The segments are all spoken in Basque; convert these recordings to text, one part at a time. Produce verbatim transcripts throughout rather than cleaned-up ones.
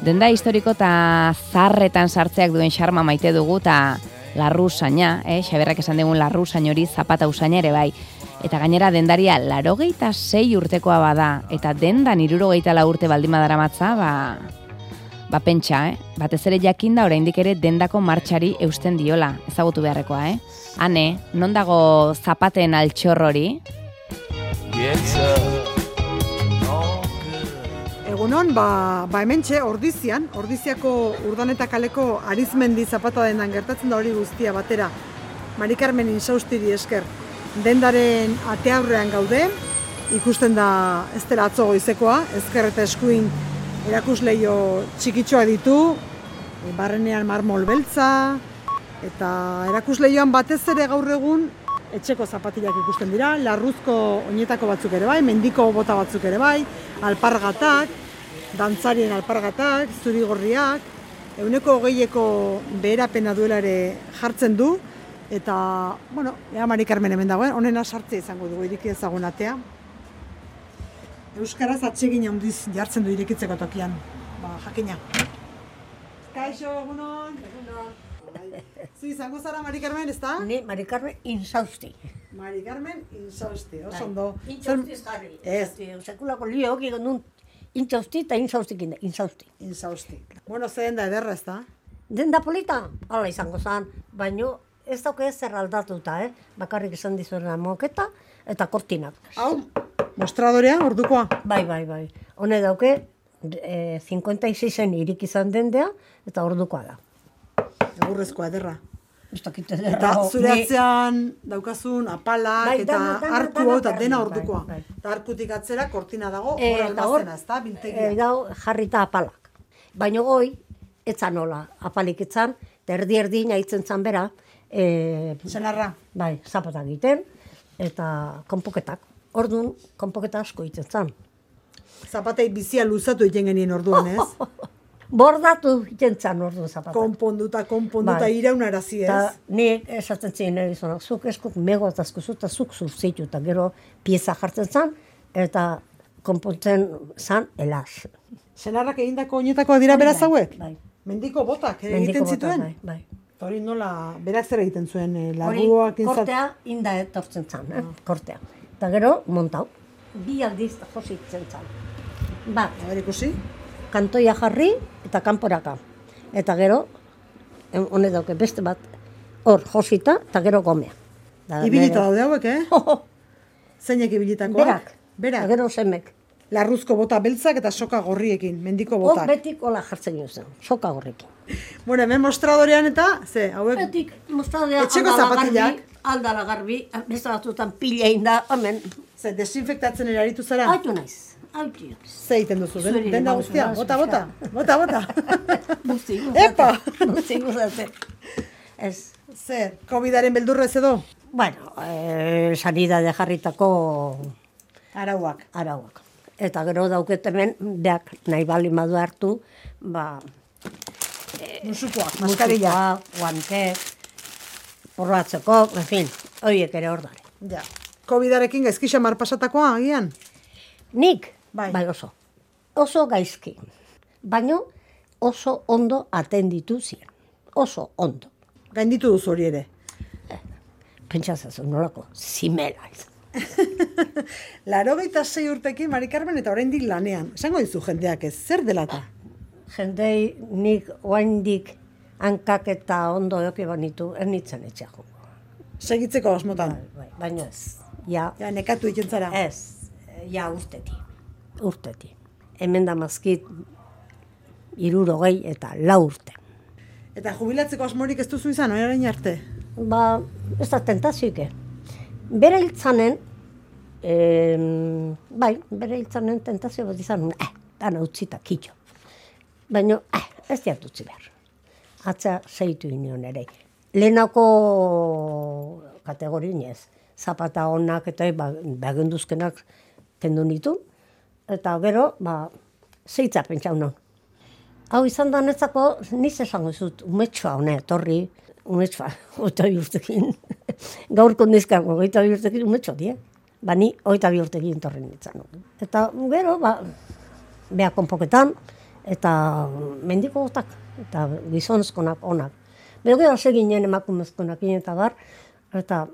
Denda historiko eta zarretan sartzeak duen xarma maite dugu eta larru usaina, eh? Xaberrak esan dugun larru usain hori zapata usaina ere bai. Eta gainera dendaria larogeita sei urtekoa bada, eta dendan hirurogeita lau urte baldin badaramatza, ba, ba pentsa, eh? Batez ere jakinda oraindik ere dendako martxari eusten diola, ezagutu beharrekoa, eh? Hane, non dago zapaten altxor hori? Egunon, ba, ba hementxe, Ordizian, Ordiziako Urdaneta kaleko Arizmendi zapata dendan gertatzen da hori guztia batera. Mari Carmen Insaustiri esker. Dendaren ateaurrean gaude, ikusten da ez dela atzo goizekoa, ezker eta eskuin erakusleio txikitxoa ditu, barrenean marmol beltza, eta erakusleioan batez ere gaur egun etxeko zapatilak ikusten dira, larruzko oinetako batzuk ere bai, mendiko bota batzuk ere bai, alpargatak, dantzarien alpargatak, zurigorriak, ehuneko hogeieko beherapena duela ere jartzen du, eta, bueno, ea Mari Carmen hemen dagoen, honena sartzea izango dugu ireki ezagun atea. Euskaraz atsegin handiz jartzen du irekitzeko tokian, ba, jakina. Kaixo, egunon. Egunon. Zu izango zara Mari Carmen, ez da? Ni Mari Carmen Insausti. Mari Carmen Insausti, oso ondo. Insausti jarri. Ez. Sekulako lio hoki gondun Insausti eta Insaustikin da, Insausti. Insausti. Bueno, ze denda ederra, ez da? Denda polita, hala izango zan, baino ez dauke zer aldatuta, eh? Bakarrik esan dizuena moketa eta kortinak. Hau, mostradorea, ordukoa? Bai, bai, bai. Hone dauke, e, cincuenta y seisen irik izan dendea eta ordukoa da. Egurrezkoa ederra. Ez dakit ederra. Eta zure atzean daukazun apalak Bai, eta dana, dana, arku dana, hau eta dana, dena bai, ordukoa. bai. Eta arkutik atzera kortina dago, Eh, hor eta hor, almazena, ez da, biltegia. E, dau jarrita apalak. Baina goi, etzan nola, apalik etzan, eta erdi-erdi nahitzen zan bera, e, Senarra. bai, zapata egiten, eta konpoketak. Orduan, konpoketa asko egiten zan. Zapatei bizia luzatu egiten genien orduan, ez? Bordatu egiten zan orduan zapata. Konponduta, konponduta, Bai. iraunarazi, ez? Eta nik esaten ziren erizonak, zuk eskuk mego eta askuzu eta zuk zurzitu, eta gero pieza jartzen zan, eta konpontzen zan elaz. Senarrak egindako oinetakoak dira beraz hauek? Bai. Mendiko botak ere Mendiko egiten botak, zituen? bai, bai. Eta hori nola, berak zer egiten zuen, eh, Hori, larruak inzat... kortea inda etortzen zan, eh? Kortea. Eta gero, montau. Bi aldiz jositzen zan. Bat, A ber, ikusi? kantoia jarri eta kanporaka. Eta gero, em, hone dauke beste bat, hor josita eta gero gomea. Da, Ibilita nere- daude hauek, eh? Zeinek ibilitakoak? Berak. Berak. Eta gero semek. Larruzko bota beltzak eta soka gorriekin, mendiko Hor botak. betik hola jartzen juzen, soka horrekin. Bueno, hemen mostradorean eta, ze, hauek... Betik, mostradea Etxeko aldala zapatilak. garbi, aldala garbi, beste batzutan pila inda, hemen, Ze, desinfektatzen ere aritu zara? haitu naiz, haitu naiz. Ze egiten duzu, den, Zuri, denda bai, guztia? bai, Bota, bota, bai. bota, bota. Busti, Epa! Busti, guztate. Ez. Zer, covidaren beldurrez edo? Bueno, eh, sanidade jarritako Arauak. arauak. Eta gero dauket hemen, beak nahi bali madu hartu, ba, Musukoak, maskarilla. musikoa, guante, porratzeko, en fin, horiek ere hor dare. Ja. Covidarekin gaizki xamar pasatakoa, agian? Nik, Bai. bai oso, oso gaizki, baino oso ondo atenditu ziren, oso ondo. Gainditu duzu hori ere. Pentsatzen nolako, zimela izan. Laurogeita sei urtekin Mari Carmen eta oraindik lanean. Esango dizu jendeak ez, zer delata? Jendei nik oaindik hankak eta ondo eoki banitu, ernitzen etxea jongo. Segitzeko asmotan. Bai, baina ez, ja, Ja, nekatu egiten zara. ez, ja urteti, urteti. Hemen da mazkit irurogei eta lau urte. Eta jubilatzeko asmorik ez duzu izan, orain arte? Ba, ez da tentazioike. Bere hiltzanen, em, bai, bere hiltzanen tentazio bat izan, eh, dana utzita kitxo. Baina, eh, ez diat utzi behar. Atza zeitu inion ere. Lehenako kategorin ez. Zapata honak eta ba, bagenduzkenak kendu nitu. Eta gero, ba, zeitza pentsau non. Hau izan da netzako, niz esango zut, umetxoa hone, etorri, umetxoa, oita bi urtekin. Gaurko nizkango, oita bi urtekin umetxoa die. Ba, ni oita bi urtekin torri nintzen. Eta gero, ba, beha konpoketan, eta mendiko gotak, eta gizonezkonak onak. Bero gero hase ginen emakumezkonak eta bar, eta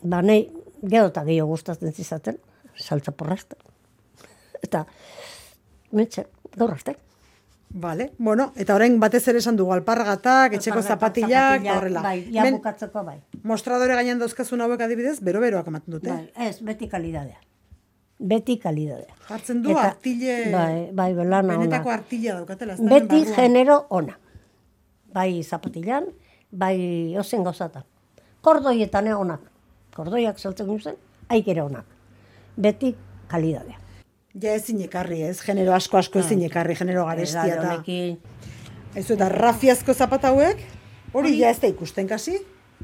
ba nahi gero eta gehiago gustatzen zizaten, saltza porrazte. Eta, metxe, gaur arte. Vale, bueno, eta orain batez ere esan dugu alpargatak, etxeko zapatillak, eta horrela. Bai, ja Hemen bukatzeko bai. mostradore gainean dauzkazun hauek adibidez, bero-beroak ematen dute. Bai, ez, beti kalidadea. Beti kalidadea. Jartzen du Eta- artile, Bai, bai, belana ona. benetako artila daukatela. ez da, Beti hemen barruan. genero ona. Bai zapatilan, bai ozen gauzatan. Kordoietan onak. Kordoiak saltzen guzen, haik ere onak. Beti kalidadea. Ja ezin ekarri, ez? Genero asko-asko ezin ekarri, genero garestia Edade eta... honekin, Aizu, eta rafiazko zapata hauek, hori ja ez da ikusten kasi.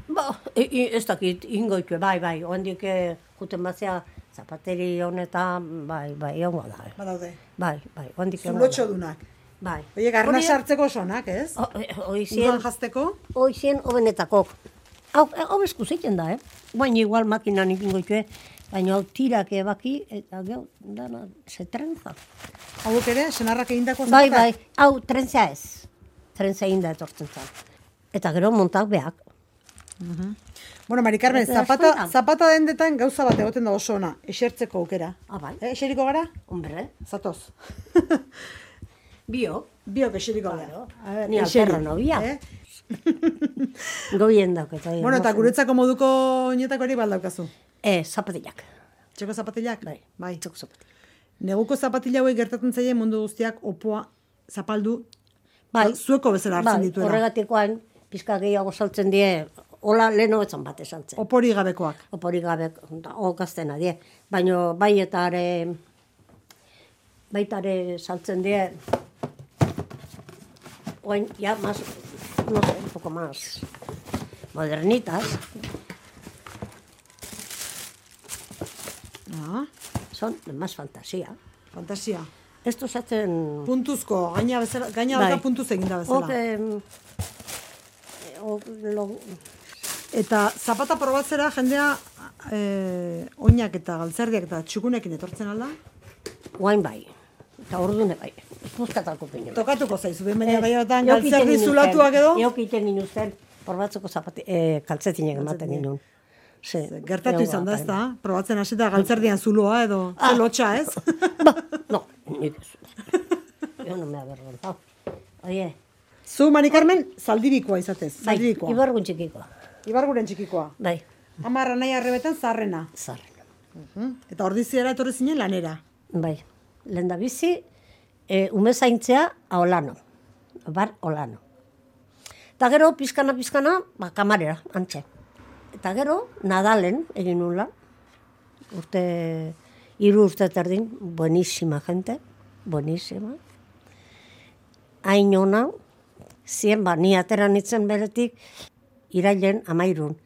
ba, i- i- ez dakit, ingoitue, bai, bai, oendik juten batzea zapateri honetan, bai, bai, ongo da. eh. Badaude. Bai, bai, oendik Zulotxo dunak. Bai. Oiek, arna sartzeko sonak, ez? Oizien, Udan jazteko. oizien hobenetako. Hau, hau eskuzitzen da, eh? Baina igual makinan ikingoitue, baina hau tirak ebaki, eta gau, dana, ze trenza. Hauek ere, senarrak egindako Bai, zapatak? bai, hau trentzea ez. Trentzea inda etortzen zan. Eta gero montak behak. Bueno, Mari Carmen, Eta zapata, askotan. zapata dendetan gauza bat egoten da oso ona, esertzeko aukera. Ah, bai. Eh, eseriko gara? Hombre, Zatoz. bio. Biok eseriko gara. Claro. A ver, Ni eseri, alterra novia. eh? Goien dauk eta. Bueno, eta guretzako moduko oinetako hori baldaukazu. Eh, zapatilak. Txeko zapatillak? Bai, Bai. txoko zapatilak. Neguko zapatilla hauek gertatzen zaie mundu guztiak opoa zapaldu Bai. zueko bezala hartzen Bai, dituela. horregatikoan, pizka gehiago saltzen die, hola leno etzan bat esaltzen. Opori gabekoak. Opori gabe, okaztena die. Baina bai eta are, baitare saltzen die, oain, ja, más, no sé, un poco más modernitas, Ah, son de más fantasía. fantasia. Estos hacen... Puntuzko, gaina bezala, gaina Bai. dauka puntuz eginda bezala. Ok, em, o, lo, Eta zapata probatzera jendea eh, oinak eta galtzerdiak eta txukunekin etortzen alda. guain bai, eta ordune bai, puzkatako pinu. Tokatuko zaizu, ben baina Ez, gaiatan eukiten galtzerdi nintzen, zulatuak edo. Eukiten nintzen, porbatzeko zapati, eh, kaltzetinek ematen ginen. Sí, Gertatu egon izan da, ez baten. da? Probatzen hasita galtzerdian zuloa edo ze lotxa, ez? Ba, no, nik ez. Yo no me avergonzado. Oye, Zu, Mari Carmen, zaldibikoa izatez, bai, zaldibikoa. ibargun txikikoa. Ibarguren txikikoa. Bai, Amarra nahi arrebetan zarrena. zarren. Eta ordiziera etorri zinen lanera. Bai, lehen da bizi, e, ume zaintzea a Olano. Bar Olano. Eta gero, pizkana, pizkana, ba, kamarera, antxe. Eta gero, Nadalen egin nula. Urte, hiru urte terdin, buenísima gente, buenísima. Hain ona, zien, ba, ni atera nitzen beretik, irailen amairun.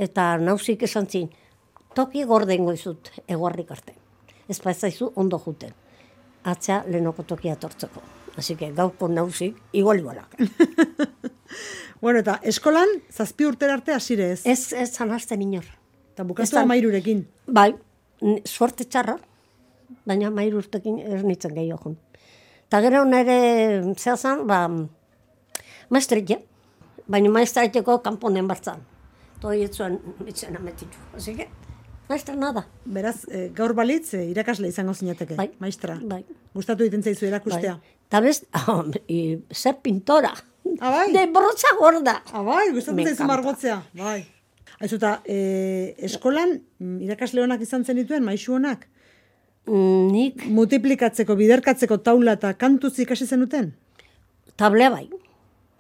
Eta nauzik esan zin, toki gordengo izut, eguarrik arte. Ez zaizu ondo juten. Atzea lehenoko tokia tortzeko. Así que gaurko nauzik, igual igualak. Bueno, eta eskolan, zazpi urtera arte hasire ez. Ez, ez zanazten inor. Eta Ez bukatu da- amairurekin. Bai, n- suerte txarra, baina mairu urtekin ez nintzen gehiago jun. Eta gero nire zehazan, ba, maestretxe, baina maestretxeko kanponen bartzan. Toi etzuen itzen ametitu. Así que, maestra nada. Beraz, eh, gaur balitz, eh, irakasle izango zinateke, Bai. maestra. Bai. Gustatu egiten zaizu erakustea. Bai. Ta bez, oh, y ser pintora. Ah, bai? De brocha gorda. Ah, bai, gustatzen Me zaizu encanta. margotzea. Bai. Aizu, eta eh, eskolan, mm, irakasle honak izan zenituen, maisu honak, Mm, Nik multiplikatzeko, biderkatzeko taula eta kantuz ikasi zenuten? tablea bai.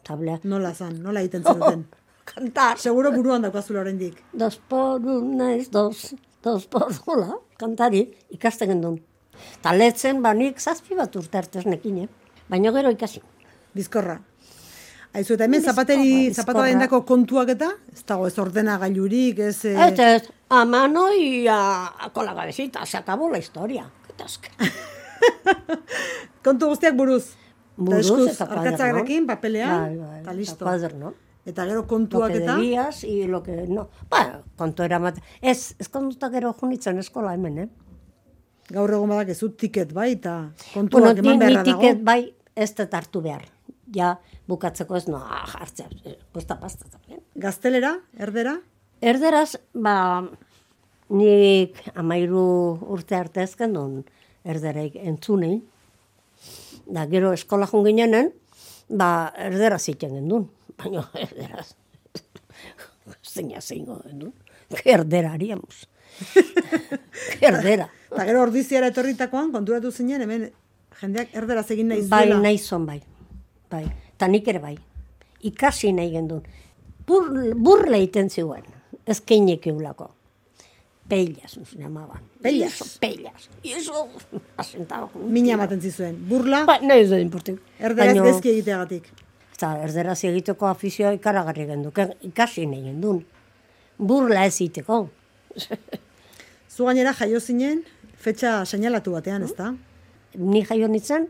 Tablea. Nola zan, nola egiten zenuten? Kantar. Seguro buruan daukazula oraindik. Dos por una es dos. Dos por hola. Kantari ikasten gendun. Ta letzen banik zazpi bat urte artez nekin, eh? Baina gero ikasi. Bizkorra. Aizu, eta hemen Bizkorra, zapateri, bizkorra. zapata dendako kontuak eta, ez dago ez ordena gailurik, ez... eh, Ez, ez, a mano y a, a con la cabecita. Se acabó la historia. Qué tasca. kontu guztiak buruz. Buruz eskuz, eta kuaderno. arkatzarekin, papelean, Bai, bai, eta eta listo. kuaderno. Eta gero Lo kontuak que eta... debías y lo que no. Ba, kontu eramat. Ez, ez kontuta gero junitzen eskola hemen, eh? Gaur egon badak ez tiket bai, eta Bueno, kontuak ni, eman ni beharra dago. tiket bai, ez dut hartu behar. Ja, bukatzeko ez noa jartzea, posta pasta. Gaztelera, erdera? Erderaz, ba, nik amairu urte arte ezken duen erdereik entzunein. Da, gero eskola jun ginenen, ba, erderaz iten gendun. Baina erderaz, zeina zeingo gendun. Erdera haríamos. Erdera. Eta gero ordiziara etorritakoan, konturatu zinen, hemen jendeak erderaz egin nahi zuela. Bai, nahi zon, bai. Bai, eta nik ere bai. Ikasi nahi gendun. Bur, burla iten zuen, ez keinek eulako. Pellas, nos llamaban. Pellas? Y eso, pellas. Y eso, asentaba. Mina ematen zizuen. Burla, Ba, nahi ez da importik. erderaz gezki egiteagatik. Eta erderaz egiteko afizioa ikaragarri gendu, ikasi nahi gendun. Burla ez egiteko. Zu gainera jaio zinen, fetxa seinalatu batean, ez da? Ni jaio nintzen,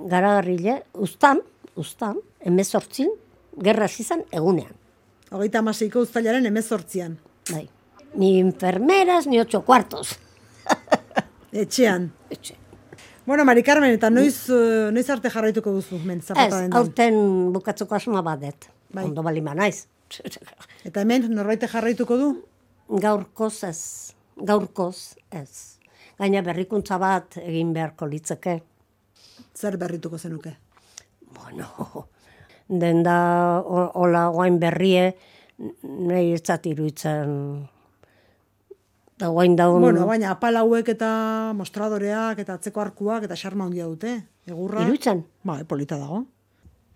garagarrile, ustan, ustan, emezortzin, gerra zizan egunean. Hogeita hamaseiko uztailaren hemezortzian. Bai. Ni enfermeras, ni ocho cuartos. Etxean. Etxe. Bueno, Mari Carmen, eta noiz, uh, noiz arte jarraituko duzu, men, zapata Ez, dendan? aurten bukatzeko asma badet. Bai. Ondo balima naiz. Eta hemen, norbaite jarraituko du? Gaurkoz ez. Gaurkoz ez. Gaina berrikuntza bat egin beharko litzeke. Zer berrituko zenuke? Bueno, den da o- hola guain berrie, nahi ez zat iruditzen. Da guain daun... Bueno, baina apalauek eta mostradoreak eta atzeko arkuak eta xarma handia dute. Egurra. Iruditzen? Ba, polita dago.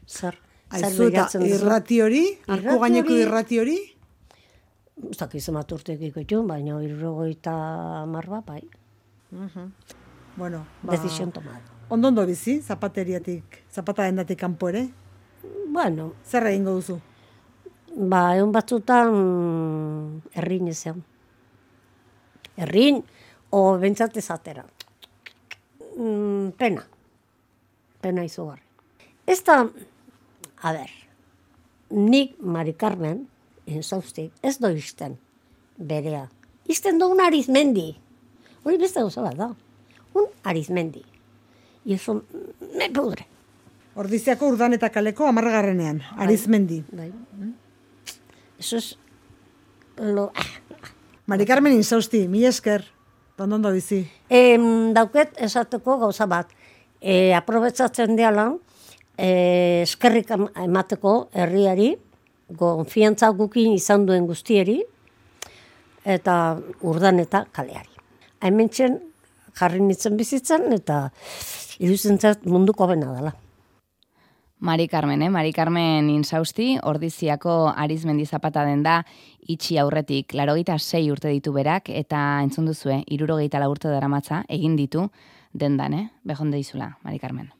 Zer? Aizu eta irrati hori, arku Irrati gaineko hori- irrati hori, Ez dakiz emat urtek ikutxun, baina irrogoita marba, bai. bueno, ba, Decision tomada. ondo-ondo bizi, zapateriatik, zapata dendatik kanpo ere. Bueno, Zer egingo duzu? ba, egun batzutan errin ezean. Errin, o bentsat ezatera. Mm, pena. Pena izugarri. Ez da, a ber, nik Mari Carmen, enzauztik, ez do izten berea. Izten do un Arizmendi. Hori beste gauza bat da. Un Arizmendi. Y eso me pudre. Ordiziako urdan eta kaleko amargarrenean, Arizmendi. Bai. Eso es lo... Mari Carmen Insausti, mila esker, ondo bizi. Em, dauket esateko gauza bat. E, aprobetzatzen diala, e, eskerrik em- emateko herriari, konfiantza gukin izan duen guztieri, eta urdan eta kaleari. Hementxen jarri nintzen bizitzen, eta iruditzen zait munduko bena dela. Mari Carmen, eh? Mari Carmen Insausti, Ordiziako Arizmendi Zapata denda itxi aurretik larogeita sei urte ditu berak, eta entzun duzue, hirurogeita lau urte daramatza egin ditu dendan, eh? Behonde dizula, Mari Carmen.